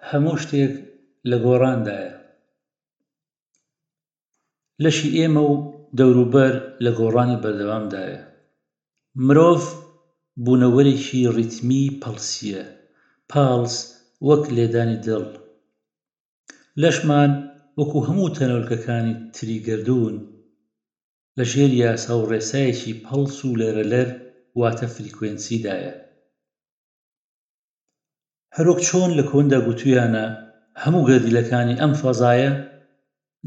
هەموو شتێک لە گۆڕاندایە. لەشی ئێمە و دەوروبەر لە گۆڕانی بەردەوامدایە. مرۆڤ بوونەوەرێکی ڕیتمیی پەڵسییە، پاڵس وەک لێدانی دڵ. لەشمان وەکو هەموو تەنۆلکەکانی تری گەردوون، لە ژێر یاسا و ڕێسایەکی پەڵس و لەرەلەر واتە فریکوێنسیدایە. هەروەک چۆن لە کۆندا گوتویانە هەموو گەردیلەکانی ئەم فەزایە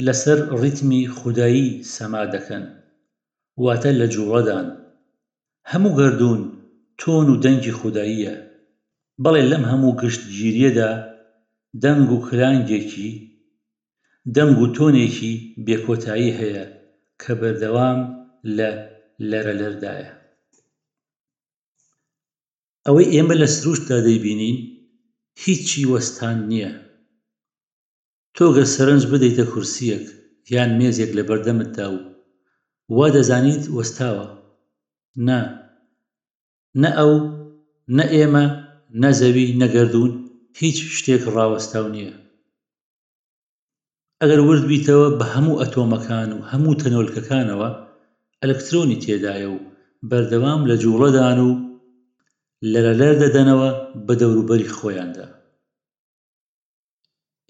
لەسەر ڕیتمی خودایی سەما دەکەن، واتە لە جوڵەدان. هەموو گەردوون تۆن و دەنگی خوداییە. بەڵێ لەم هەموو گشتگیرییەدا دەنگ و کلانگێکی، دەنگ و تۆنێکی بێکۆتایی هەیە کە بەردەوام لە لەرەلەردایە. ئەوەی ئێمە لە سروشتدا دەیبینین هیچی وەستان نییە. تۆ گەر سەرنج بدەیتە کورسییەک یان مێزێک لەبەردەمتدا و وا دەزانیت وەستاوە، نا، نە ئەو، نە ئێمە، نە زەوی، نە گەردوون، هیچ شتێک ڕاوەستاو نییە. ئەگەر ورد بیتەوە بە هەموو ئەتۆمەکان و هەموو تەنۆلکەکانەوە ئەلکترۆنی تێدایە و بەردەوام لە جوڵەدان و لەرەلەر دەدەنەوە بە دەوروبەری خۆیاندا.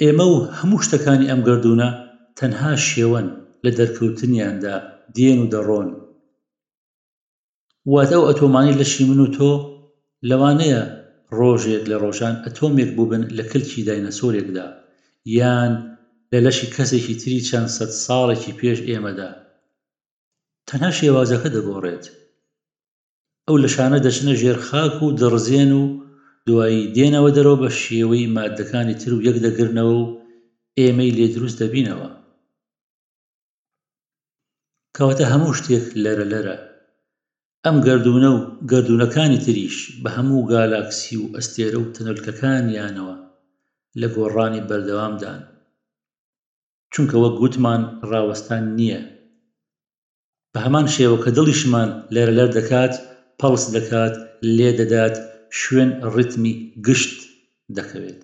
ئێمە و هەموو شتەکانی ئەم گەردوونە تەنها شێوەن لە دەرکەوتنیاندا دێن و دەڕۆن. واتە ئەو ئەتۆمانەی لەشی من و تۆ لەوانەیە ڕۆژێک لە ڕۆژان ئەتۆمێک بووبن لە کلکی داینەسۆرێکدا یان لە لەشی کەسێکی تری چەند سەد ساڵێکی پێش ئێمەدا. تەنها شێوازەکە دەگۆڕێت. ئەو لەشانە دەچنە ژێر خاک و دەڕزێن و دوایی دێنەوە دەرەوە بە شێوەی ماددەکانی تر و یەک دەگرنەوە و ئێمەی لێ دروست دەبینەوە. کەواتە هەموو شتێک لەرەلەرە. ئەم گەردوونە و گەردوونەکانی تریش بە هەموو گالاکسی و ئەستێرە و تەنۆلکەکانیانەوە لە گۆڕانی بەردەوامدان. چونکە وەک گوتمان ڕاوەستان نییە. بە هەمان شێوە کە دڵیشمان لەرەلەر دەکات، پەڵس دەکات، لێ دەدات، شوێن ڕیتمی گشت دەکەوێت.